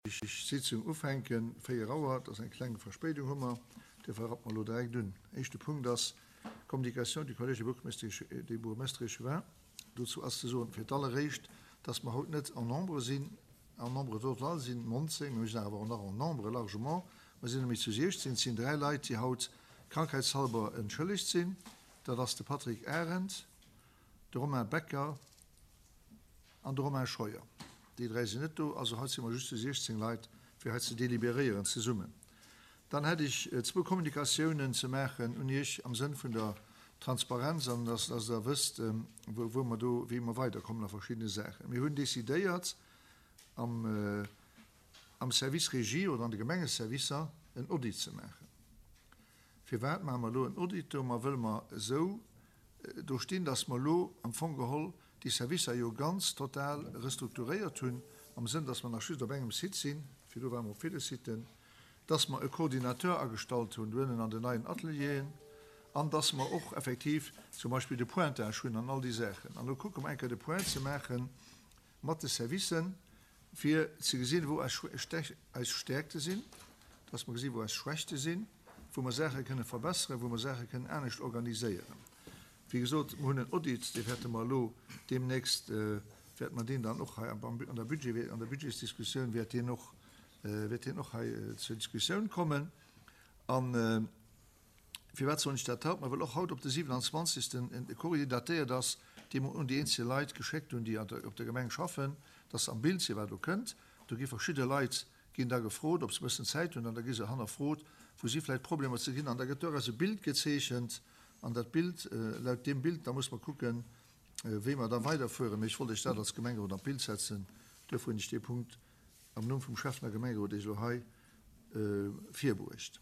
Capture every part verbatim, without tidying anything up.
Sitzung ufänken, véier Auer, dat ass eng kleng Verspéidung hu mer, duerfir rappe mer elo direkt un. Éischte Punkt ass Communication du Collège des bourgmestres des bourgmestres et échevins. Dozou ass ze soen, fir d'alleréischt, dass mer haut net en nombre sinn, en nombre total sinn nonzéng, mir sinn awer och nach en nombre largement, mer sinn nämlech zu siechzéng, et sinn dräi Leit, déi haut krankheitshalber entschëllegt sinn, dat ass de Patrick Arendt, de Romain Becker an de Romain Scheuer. Déi dräi sinn net do, also haut si mer just zu siechzéng Leit, fir hei ze deliberéieren zesummen. Dann hätt ech zwou Kommunikatiounen ze maachen un Iech am Sënn vun der Transparenz an dass dass Der wësst, wou wou mer do, wéi mer weiderkommen a verschiddene Saachen. Mir hunn decidéiert, am am Service Régie oder an de Gemengeservicer en Audit ze maachen. Firwat maache mer elo en Audit do? Ma wëll mer esou do stinn, dass mer elo am Fong geholl déi Servicer jo ganz total restrukturéiert hunn, am Sënn, dass mer nach just op engem Site sinn, virdu ware mer op ville Siten, dass mer e Coordinateur agestallt hunn do ënnen an den neien Atelieren an dass mer och effektiv zum Beispill de Pointage hunn an all déi Saachen. An elo kucke mer eng Kéier de Point ze maache mat de Servicen, fir ze gesinn, wou eis Stäerkte sinn, dass mer gesinn, wou eis Schwächte sinn, wou mer Saache kënne verbesseren, wou mer Saache kënnen anescht organiséieren. Wéi gesot, mer hunn en Audit, dee wäerte mer elo deemnächst, wäerte mer deen dann och hei an der Budget, an der Budgetsdiskussioun wäert deen och, wäert deen och hei zur Diskussioun kommen. A firwat soen ech dat haut? Ma well och haut op de siwenanzwanzegsten e Courrier datéiert ass, dee mer un déi eenzel Leit geschéckt hunn, déi op der Gemeng schaffen, dass se am Bild sinn, wat do kënnt. Do gi verschidde Leit ginn da gefrot, ob se e bëssen Zäit hunn, an da gi se hannerfrot, wou si vläicht Problemer ze ginn. An da gëtt doraus e Bild gezeechent. An dat Bild, laut deem Bild, da muss mer kucken, wéi mer da weiderfueren. Mee ech wollt Iech dat als Gemengerot an d'Bild setzen. Duerfir hunn ech dee Punkt am Numm vum Schäffen a Gemengerot Iech elo hei virbruecht.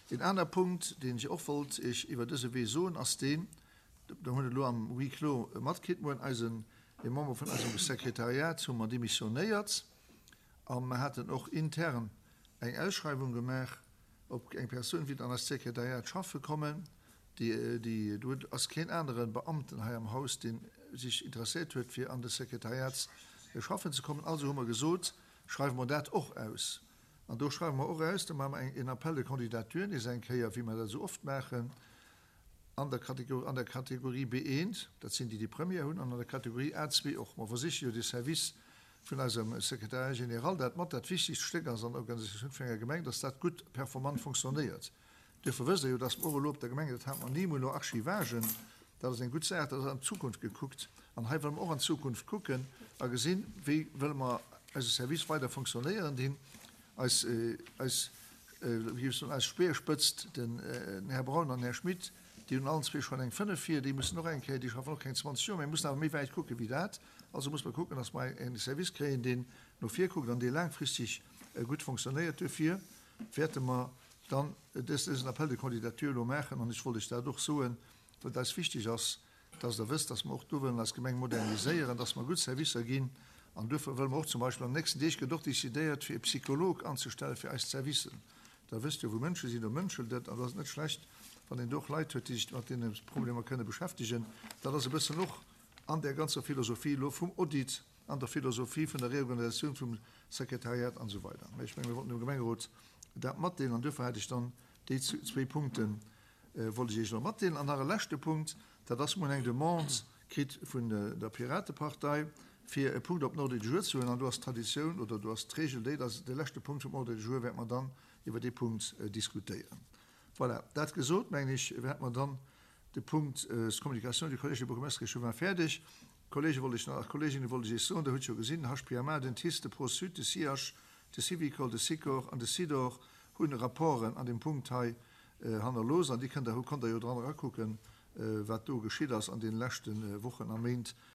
Een aner Punkt, deen ech och wollt Iech iwwer dëse Wee soen, ass deen, Der hutt et elo am Huis clos matkritt, Muer eisen, ee Member vun eisem Sekretariat hu mer demissionéiert a mer haten och intern eng Ausschreiwung gemaach, ob eng Persoun wéilt an eist Sekretariat schaffe kommen. Déi, déi, do ass keen anere Beamten hei am Haus, dee sech interesséiert huet, fir an de Sekretariat schaffen ze kommen. Also hu mer gesot, schreiwe mer dat och aus. An do schreiwe mer och aus, do maache mer eng, een Appel de candidature nees eng Kéier, wéi mer dat esou oft maachen, an der Kategorie, an der Kategorie B eent, dat sinn déi, déi Première hunn, an an der Kategorie A zwee och. Mer versiche jo de Service vun eisem Secrétariat général, dat mat dat wichtigst Stéck ass an der Organisatioun vun enger Gemeng, dass dat gutt performant fonctionnéiert. Duerfir wësst Der jo, dass mer och elo op der Gemeng, dat hate mer ni, mer elo Archivagen, dat ass eng gutt Saach, dat ass an d'Zukunft gekuckt. An hei wëlle mer och an d'Zukunft kucken a gesinn, wéi wëlle mer eise Service weider fonctionnéieren dinn. Eis, eis, wéi géif ech soen, eis Speerspëtzt, den Här Braun an den Här Schmit, déi hunn allen zwee schonn eng fënnef vir, déi mussen och eng Kéier, déi schaffen och keng zwanzeg Joer, mä mussen awer méi wäit kucke wéi dat. Also muss mer kucken, dass mer e Service kréien, deen no vir kuckt an dee laangfristeg gutt fonctionnéiert. Duerfir wäerte mer dann dësen Appel de candidature elo maachen. An ech wollt lech dat och soen, well et eis wichteg ass, dass Der wësst, dass mer och do wëllen eis Gemeng moderniséieren, dass mer gutt Servicer ginn. An duerfir wëlle mer och zum Beispill, an den nächsten Deeg gëtt och décidéiert, fir e Psycholog anzestelle fir eis Servicen. Der wësst jo, wou Mënsche sinn, do mënschelt et. An et ass net schlecht, wann een do och Leit huet, déi sech mat deene Problemer kënne beschäftegen. Dat ass e bëssen och an där ganzer Philosophie elo vum Audit, an der Philosophie vun der Reorganisatioun vum Sekretariat an esou weider. Mä ech menge mir wollten dem Gemengerot dat matdeelen an duerfir hat ech dann déi zwee Punkte wollt ech Iech elo matdeelen. An nach e leschte Punkt, dat ass, mir hunn eng Demande kritt vun der Piratepartei, fir e Punkt op den Ordre du jour ze huelen. An do ass d'Traditioun oder do ass d'Regel déi, dass de leschte Punkt vum Ordre du jour wäerte mer dann iwwer dee Punkt diskutéieren. Voilà, dat gesot, mengen ech, hätte mer dann de Punkt Communication du Collège des bourgmestres et échevins fäerdeg. Kollege wollt ech nach, Kolleginnen wollt ech Iech soen, Der hutt jo gesinn, den H P M A, den T I C E, de Pro-Sud, de C I H, de Syvicol, de Sikor an de Sidor hunn Rapporten an deem Punkt hei hannerlooss an déi kënnt Der, konnt Der jo dran erakucken, wat do geschitt ass an deene leschte Wochen a Méint.